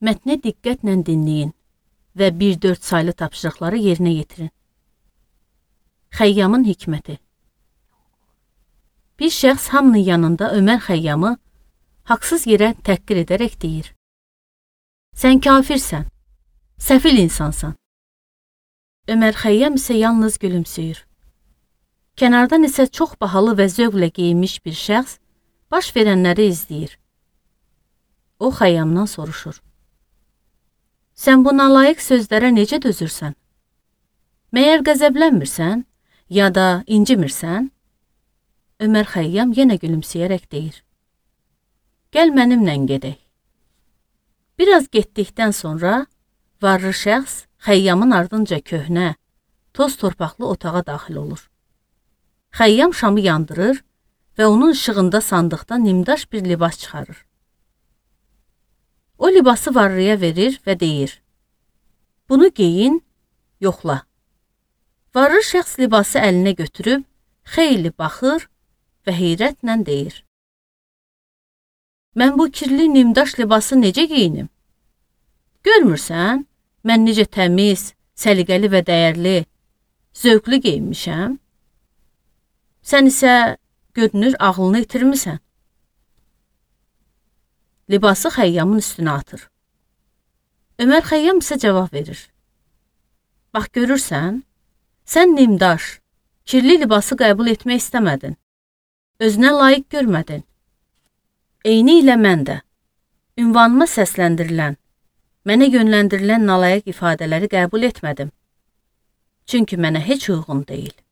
Mətni diqqətlə dinləyin və 1-4 saylı tapşırıqları yerinə yetirin. Xəyyamın hikməti. Bir şəxs hamının yanında Ömər Xəyyamı haqsız yerə təhqir edərək deyir: "Sən kafirsən, səfil insansan." Ömər Xəyyam isə yalnız gülümsüyür. Kənardan isə çox bahalı və zövqlə geyinmiş bir şəxs baş verənləri izləyir. O Xəyyamdan soruşur: "Sən bu nalayiq sözlərə necə dözürsən? Məyər qəzəblənmirsən, ya da incimirsən?" Ömər Xəyyam yenə gülümsəyərək deyir: "Gəl mənimlə gedək." Biraz getdikdən sonra varlı şəxs Xəyyamın ardınca köhnə, toz torpaqlı otağa daxil olur. Xəyyam şamı yandırır və onun işığında sandıqdan nimdaş bir libas çıxarır. O libası varlıya verir və deyir: "Bunu geyin, yoxla." Varlı şəxs libası əlinə götürüb xeyli baxır və heyrətlə deyir: "Mən bu kirli nimdaş libası necə geyinim? Görmürsən, mən necə təmiz, səliqəli və dəyərli, zövqlü geyinmişəm? Sən isə görünür ağlını itirmisən." Libası Xəyyamın üstünə atır. Ömər Xəyyam isə cavab verir: "Bax görürsən, sən nimdaş, kirli libası qəbul etmək istəmədin. Özünə layiq görmədin. Eyni ilə mən də ünvanıma səsləndirilən, mənə yönləndirilən nalayiq ifadələri qəbul etmədim. Çünki mənə heç uyğun deyil."